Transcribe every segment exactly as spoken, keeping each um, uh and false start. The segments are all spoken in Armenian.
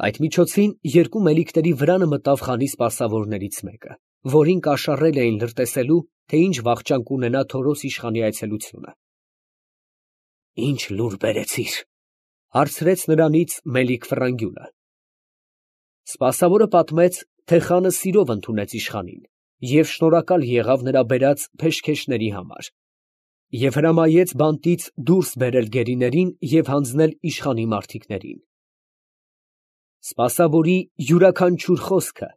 Այդ միջոցին երկու մելիքների վրանը մտավ խանի սպասավորներից մեկը, որին կաշառել էին լրտեսելու, թե ինչ վախճան կունենա Թորոս իշխանի այցելությունը։ ֊ Ի՞նչ լուր բերեցիր, ֊ հարցրեց նրանից Մելիք Ֆրանգյուլը։ Սպասավորը պատմեց, թե խանը սիրով ընդունեց իշխանին և շնորհակալ եղավ նրա բերած փեշքեշների համար, և հրամայեց բանտից դուրս բերել գերիներին և հանձնել իշխանի մարդիկներին։ Սպասավորի յուրաքանչյուր խոսքը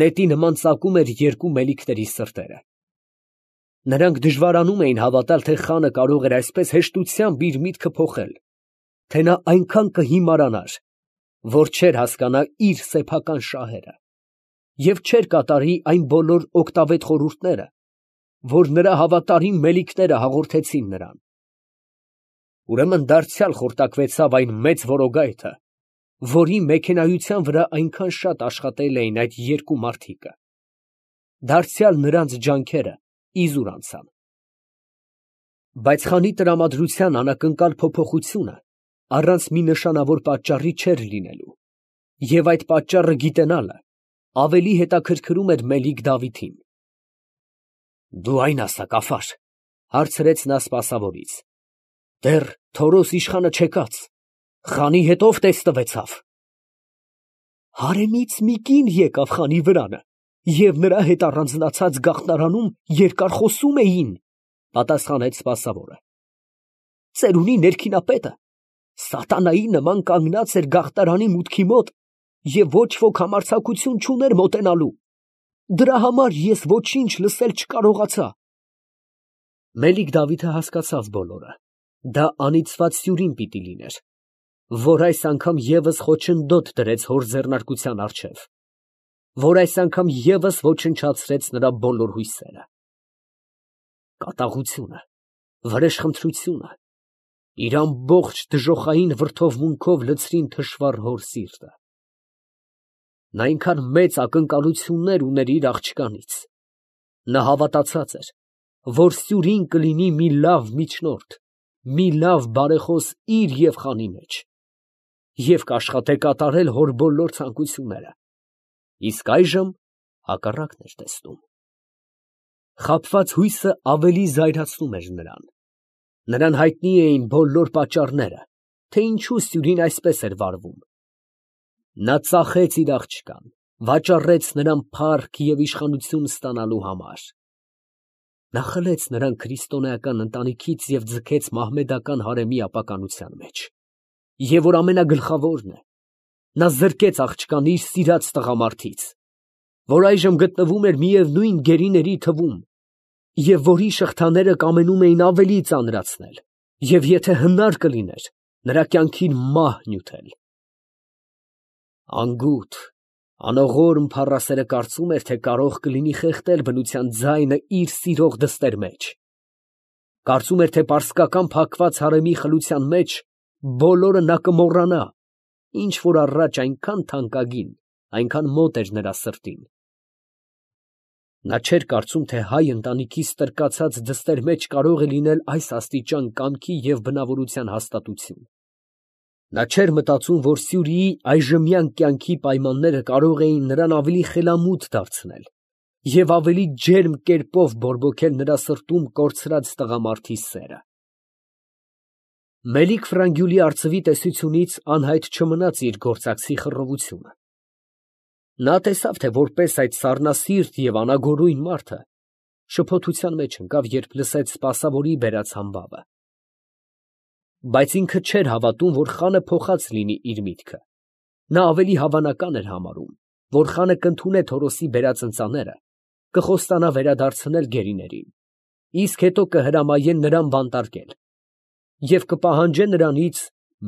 նետի նման ծակում էր երկու մելիքների սրտերը։ Նրանք դժվարանում էին հավատալ, թե խանը կարող էր այսպես հեշտությամբ իր միտքը փոխել, թե նա այնքան կհիմարանար, որ չէր հասկանա իր սեփական շահերը և չէր կատարի այն բոլոր օգտավետ խորհուրդները, որ նրա հավատարիմ մելիքները հաղորդեցին նրան։ Ուրեմն դարձյալ խորտակվեցավ այն մեծ որոգայթը, որի մեքենայության վրա այնքան շատ աշխատել էին այդ երկու մարդիկը, դարձյալ նրանց ջանքերը իզուր անցան։ Բայց խանի տրամադրության անակնկալ փոփոխությունը առանց մի նշանավոր պատճառի չէր լինելու, և այդ պատճառը գիտենալը ավելի հետաքրքրում էր Մելիք Դավիթին։ ֊ Դու այն ասա, Կաֆար, ֊ հարցրեց նա սպասավորից, ֊ դեռ Թորոս իշխանը չեկած, խանի հետ ո՞վ տեսնվեցավ։ ֊ Հարեմից մի կին եկավ խանի վրանը և նրա հետ առանձնացած գաղթարանում երկար խոսում էին, ֊ պատասխանեց սպասավորը։ Ծերունի ներքինապետը սատանայի նման կանգնած էր գաղթարանի մուտքի մոտ և ոչ ոք համարձակություն չուներ մոտենալու. դրա համար ես ոչինչ լսել չկարողացա։ Մելիք Դավիթը հասկացավ բոլորը. դա անիծված սյուրին պիտի լիներ, որ այս անգամ ևս խոչընդոտ դրեց հոր ձեռնարկության առջև, որ այս անգամ ևս ոչնչացրեց նրա բոլոր հույսերը։ Կատաղությունը, վրեժխնդրությունը իր ամբողջ դժոխային վրդովմունքով լցրին թշվառ հոր սիրտը։ Նա այնքան մեծ ակնկալություններ ուներ իր աղջկանից։ Նա հավատացած էր, որ սյուրին կլինի մի լավ միջնորդ, մի լավ բարեխոս իր և խանի մեջ, և կաշխատե կատարել հոր բոլոր ցանկությունները, իսկ այժմ հակառակն էր տեսնում։ Խաբված հույսը ավելի զայրացնում էր նրան։ Նրան հայտնի էին բոլոր պատճառները, թե ինչու սյուրին այսպես էր վարվում։ Նա ծախեց իր աղջկան, վաճառեց նրան փառք և իշխանություն ստանալու համար։ Նա խլեց նրան քրիստոնեական ընտանիքից և ձգեց մահմեդական հարեմի ապականության մեջ, և որ ամենագլխավորն է, նա զրկեց աղջկան իր սիրած տղամարդից, որ այժմ գտնվում էր միևնույն գերիների թվում, և որի շղթաները կամենում էին ավելի ծանրացնել, և եթե հնար կլիներ, նրա կյանքին մահ նյութել։ Անգութ, անողորմ փառասերը կարծում էր, թե կարող կլինի խեղդել բնության ձայնը իր սիրող դստեր մեջ, կարծում էր, թե պարսկական փակված հարեմի խլության մեջ բոլորը նա կմոռանա, ինչ որ առաջ այնքան թանկագին, այնքան մոտ էր նրա սրտին։ Նա չէր կարծում, թե հայ ընտանիքի ստրկացած դստեր մեջ կարող է լինել այս աստիճան կամքի և բնավորության հաստատություն։ Նա չէր մտածում, որ Սյուրիի այժմյան կյանքի պայմանները կարող էին նրան ավելի խելամուտ դարձնել և ավելի ջերմ կերպով բորբոքել նրա սրտում կորցրած տղամարդի սերը։ Մելիք Ֆրանգյուլի արծվի տեսությունից անհայտ չմնաց իր գործակցի խռովությունը։ Նա տեսավ, թե որպես այդ սառնասիրտ և անագորույն մարդը շփոթության մեջ ընկավ, երբ լսեց սպասավորի բերած համբավը։ Բայց ինքը չէր հավատում, որ խանը փոխած լինի իր միտքը։ Նա ավելի հավանական էր համարում, որ խանը կընդունե Թորոսի բերած ընծաները, կխոստանա վերադարձնել գերիներին, իսկ հետո կհրամայե նրան բանտարկել և կպահանջե նրանից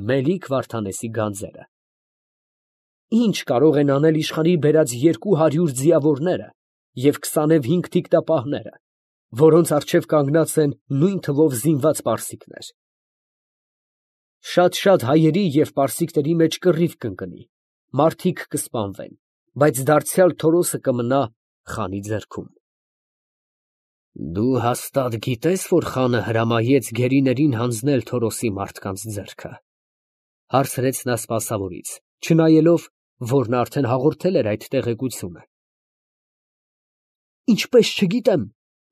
Մելիք Վարդանեսի գանձերը։ Ի՞նչ կարող են անել իշխանի բերած երկու հարյուր ձիավորները և քսանևհինգ թիկտապահները, որոնց առջև կանգնած են նույն թվով զինված պարսիկներ։ Շատ֊շատ հայերի և պարսիկների մեջ կռիվ կընկնի, մարդիկ կսպանվեն, բայց դարձյալ Թորոսը կմնա խանի ձեռքում։ Դու հաստատ գիտե՞ս, որ խանը հրամայեց գերիներին հանձնել Թորոսի մարդկանց ձեռքը, ֊ հարցրեց նա սպասավորից, չնայելով, որն արդեն հաղորդել էր այդ տեղեկությունը։ Ինչպես չգիտեմ,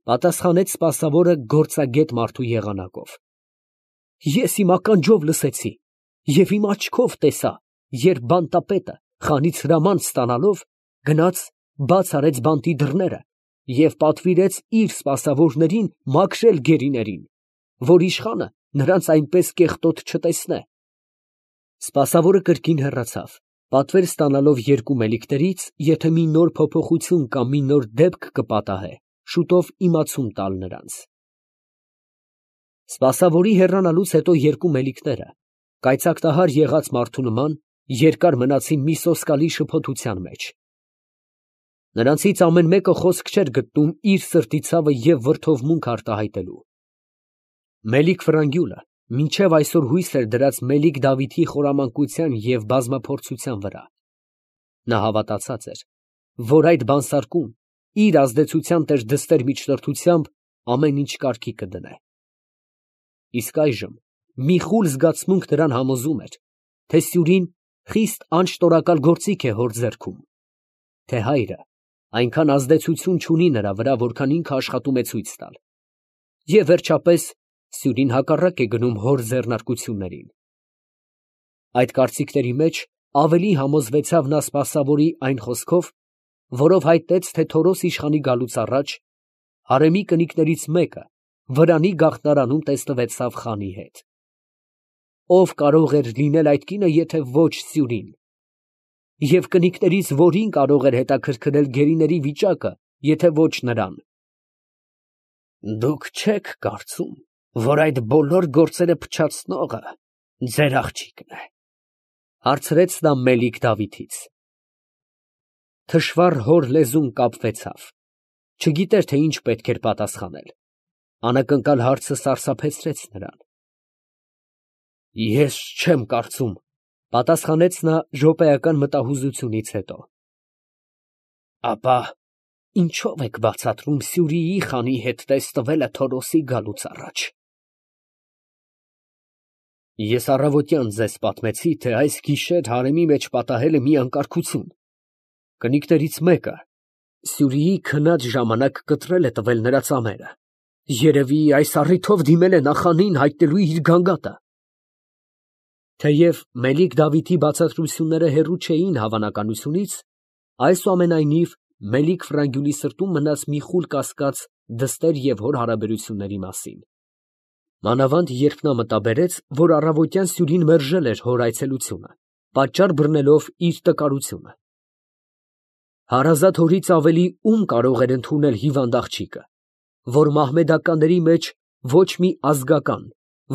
պատասխանեց սպասավորը գործագետ մարդու եղանակով։ Ես իմ ականջով լսեցի և իմ աչքով տեսա, երբ բանտապետը խանից հրաման ստանալով գնաց, բաց արեց բանտի դռները և պատվիրեց իր սպասավորներին մաքրել գերիներին, որ իշխանը նրանց այնպես կեղտոտ չտեսնե։ Սպասավորը կրկին հեռացավ, պատվեր ստանալով երկու մելիքներից, եթե մի նոր փոփոխություն կամ մի նոր դեպք կպատահե, շուտով իմացում տալ նրանց։ Սպասավորի հեռանալուց հետո երկու մելիքները, կայծակտահար եղած մարդու նման, երկար մնացին մի սոսկալի շփոթության մեջ։ Նրանցից ամեն մեկը խոսք չէր գտնում իր սրտի ցավը և վրդովմունք արտահայտելու։ Մելիք Ֆրանգյուլը մինչև այսօր հույս էր դրած Մելիք Դավիթի խորամանկության և բազմափորձության վրա։ Նա հավատացած էր, որ այդ բանսարկում իր ազդեցության տեր դստեր միջնորդությամբ ամեն ինչ կարգի կդնե։ Իսկ այժմ մի խուլ զգացմունք նրան համոզում էր, թե Սյուրին խիստ անշտորակալ գործիք է հոր ձեռքում, թե հայրը այնքան ազդեցություն չունի նրա վրա, որքան ինքը աշխատում է ցույց տալ, և վերջապես Սյուրին հակառակ է գնում հոր ձեռնարկություններին։ Այդ կարծիքների մեջ ավելի համոզվեցավ նա սպասավորի այն խոսքով, որով հայտնեց, թե Թորոս իշխանի գալուց առաջ հարեմի կնիկներից մեկը Վրանի գաղթարանում տեսնվեցավ խանի հետ։ Ո՞վ կարող էր լինել այդ կինը, եթե ոչ Սյուրին, և կնիկներից որի՞ն կարող էր հետաքրքրել գերիների վիճակը, եթե ոչ նրան։ Դուք չե՞ք կարծում, որ այդ բոլոր գործերը փչացնողը ձեր աղջիկն է, հարցրեց նա Մելիք Դավիթից։ Թշվառ հոր լեզուն կապվեցավ, չգիտեր, թե ինչ պետք էր պատասխանել։ Անակնկալ հարցը սարսափեցրեց նրան։ Ես չեմ կարծում, պատասխանեց նա րոպեական մտահուզությունից հետո։ Ապա ինչո՞վ եք բացատրում Սյուրիի խանի հետ տեսնվելը Թորոսի գալուց առաջ։ Ես առավոտյան ձեզ պատմեցի, թե այս գիշեր հարեմի մեջ պատահել է մի անկարգություն։ Կնիկներից մեկը Սյուրիի քնած ժամանակ կտրել է տվել նրա ծամերը։ Երևի այս առիթով դիմել է նախանին հայտնելու իր գանգատը։ Թեև Մելիք Դավիթի բացատրությունները հեռու չէին հավանականությունից, այսուամենայնիվ Մելիք Ֆրանգյուլի սրտում մնաց մի խուլ կասկած դստեր և հոր հարաբերությունների մասին։ Մանավանդ երբ նա մտաբերեց, որ առավոտյան Սյուրին մերժել էր հոր այցելությունը, պատճառ բռնելով իր տկարությունը։ Հարազատ հորից ավելի ում կարող էր ընդունել հիվանդ աղջիկը, որ մահմեդականների մեջ ոչ մի ազգական,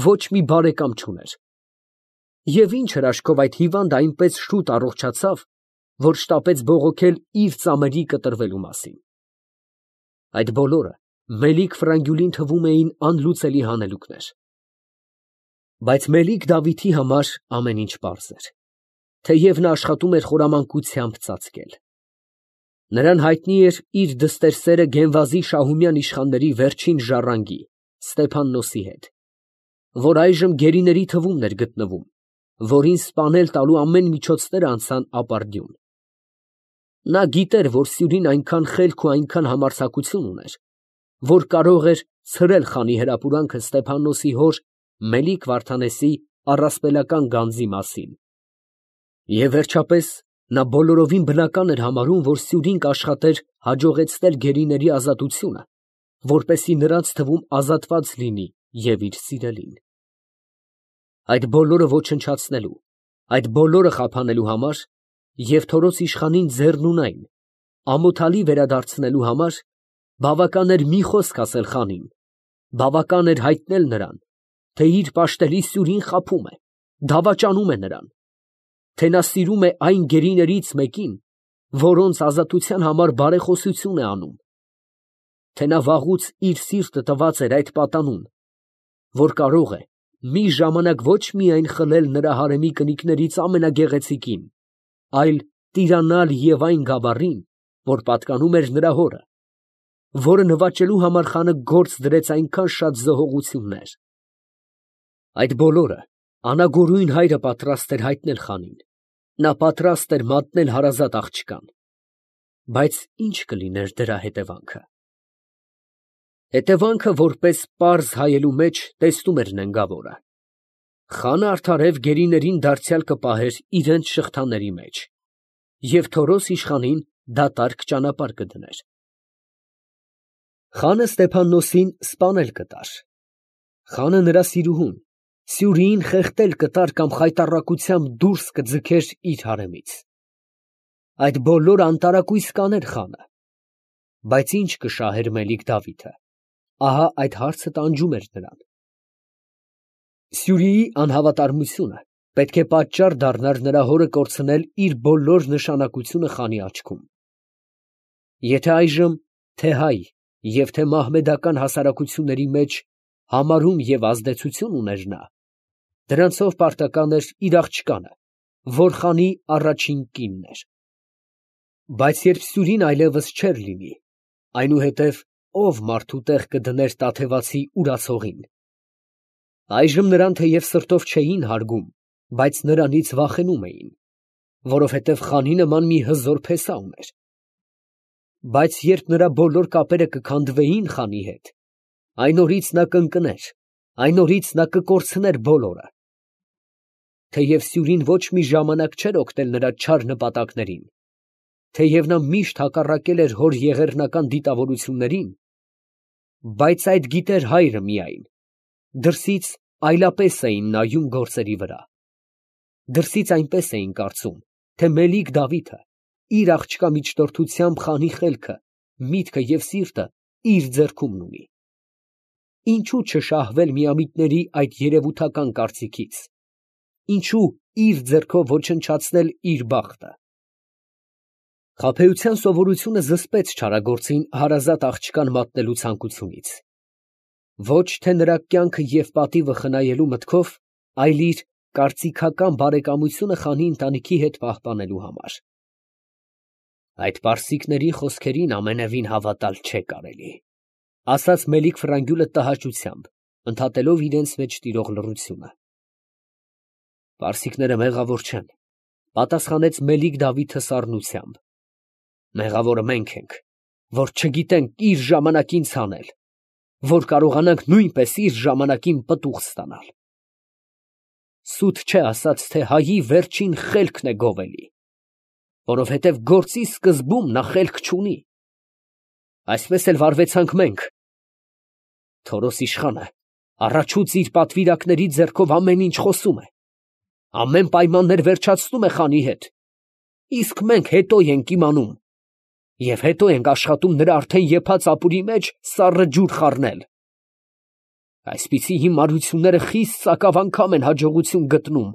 ոչ մի բարեկամ չուներ։ Եվ ինչ հրաշքով այդ հիվանդը այնպես շուտ առողջացավ, որ շտապեց բողոքել իր ծամերի կտրվելու մասին։ Այդ բոլորը Մելիք Ֆրանգյուլին թվում էին անլուծելի հանելուկներ։ Բայց Մելիք Դավիթի համար ամեն ինչ պարզ էր, թեև նա աշխատում էր խորամանկությամբ ծածկել։ Նրան հայտնի էր իր դստեր սերը Գենվազի շահումյան իշխանների վերջին ժառանգի Ստեփաննոսի հետ, որ այժմ գերիների թվում էր գտնվում, որին սպանել տալու ամեն միջոցները անցան ապարդյուն։ Նա գիտեր, որ Սյուրին այնքան խելք ու այնքան համարձակություն ուներ, որ կարող էր ցրել խանի հրապուրանքը Ստեփաննոսի հոր Մելիք Վարդանեսի առասպելական գանձի մասին։ Եվ վերջապես նա բոլորովին բնական էր համարում, որ Սյուրին կաշխատեր հաջողեցնել գերիների ազատությունը, որպեսզի նրանց թվում ազատված լինի և իր սիրելին։ Այդ բոլորը ոչնչացնելու, այդ բոլորը խափանելու համար և Թորոս իշխանին ձեռնունայն, ամոթալի վերադարձնելու համար բավական էր մի խոսք ասել խանին, բավական էր հայտնել նրան, թե իր պաշտելի Սյուրին խաբում է, դավաճանում է նրան, թե նա սիրում է այն գերիներից մեկին, որոնց ազատության համար բարեխոսություն է անում, թե նա վաղուց իր սիրտը տված էր այդ պատանուն, որ կարող է մի ժամանակ ոչ միայն խլել նրա հարեմի կնիկներից ամենագեղեցիկին, այլ տիրանալ և այն գավառին, որ պատկանում էր նրա հորը, որը նվաճելու համար խանը գործ դրեց այնքան շատ զոհողություններ։ Այդ բոլորը անագորույն հայրը պատրաստ էր հայտնել խանին, Նա պատրաստ էր մատնել հարազատ աղջկան, բայց ի՞նչ կլիներ դրա հետևանքը։ Հետևանքը որպես պարզ հայելու մեջ տեսնում էր նենգավորը. խանը արդարև գերիներին դարձյալ կպահեր իրենց շղթաների մեջ և Թորոս իշխանին դատարկ ճանապարհ կդներ։ Խանը Ստեփաննոսին սպանել կտար, խանը նրա սիրուհուն Սյուրիին խեղդել կտար կամ խայտառակությամբ դուրս կձգեր իր հարեմից։ Այդ բոլորը անտարակույս կաներ խանը, բայց ի՞նչ կշահեր Մելիք Դավիթը, ահա այդ հարցը տանջում էր նրան։ Սյուրիի անհավատարմությունը պետք է պատճառ դառնար նրա հորը կորցնել իր բոլոր նշանակությունը խանի աչքում։ Եթե այժմ թե հայ և թե մահմեդական հասարակությունների մեջ համարում և ազդեցություն ուներ նա, դրանցով պարտական էր իր աղջկանը, որ խանի առաջին կինն էր։ Բայց երբ Սյուրին այլևս չէր լինի, այնուհետև ո՞վ մարդու տեղ կդներ տաթևացի ուրացողին։ Այժմ նրան թեև սրտով չէին հարգում, բայց նրանից վախենում էին, որովհետև խանի նման մի հզոր փեսա ուներ։ Բայց երբ նրա բոլոր կապերը կքանդվեին խանի հետ, այն օրից նա կընկներ, այն օրից նա կկորցներ բոլորը։ Թեև Սյուրին ոչ մի ժամանակ չէր օգնել նրա չար նպատակներին, թեև նա միշտ հակառակել էր հոր եղեռնական դիտավորություններին, բայց այդ գիտեր հայրը միայն, դրսից այլապես էին նայում գործերի վրա։ Դրսից այնպես էին կարծում, թե Մելիք Դավիթը իր աղջկա միջնորդությամբ խանի խելքը, միտքը և սիրտը իր ձեռքումն ունի։ Ինչո՞ւ չշահվել միամիտների այդ երևութական կարծիքից, ինչո՞ւ իր ձեռքով ոչնչացնել իր բախտը։ Խաբեության սովորությունը զսպեց չարագործին հարազատ աղջկան մատնելու ցանկությունից, ոչ թե նրա կյանքը և պատիվը խնայելու մտքով, այլ իր կարծիքական բարեկամությունը խանի ընտանիքի հետ պահպանելու համար։ Այդ պարսիկների խոսքերին ամենևին հավատալ չէ կարելի, ֊ ասաց Մելիք֊Ֆրանգյուլը տհաճությամբ, ընդհատելով իրենց մեջ տիրող լռությունը։ Պարսիկները մեղավոր չեն, ֊ պատասխանեց Մելիք֊Դավիթը սառնությամբ։ Մեղավորը մենք ենք, որ չգիտենք իր ժամանակին ցանել, որ կարողանանք նույնպես իր ժամանակին պտուղ ստանալ։ Սուտ չէ ասած, թե հայի վերջին խելքն է գովելի, որովհետև գործի սկզբում նա խելք չունի։ Այսպես էլ վարվեցանք մենք։ Թորոս իշխանը առաջուց իր պատվիրակների ձեռքով ամեն ինչ խոսում է, ամեն պայմաններ վերջացնում է խանի հետ, իսկ մենք հետո ենք իմանում և հետո ենք աշխատում նրա արդեն եփած ապուրի մեջ սառը ջուր խառնել։ Այսպիսի հիմարությունները խիստ սակավ անգամ են հաջողություն գտնում,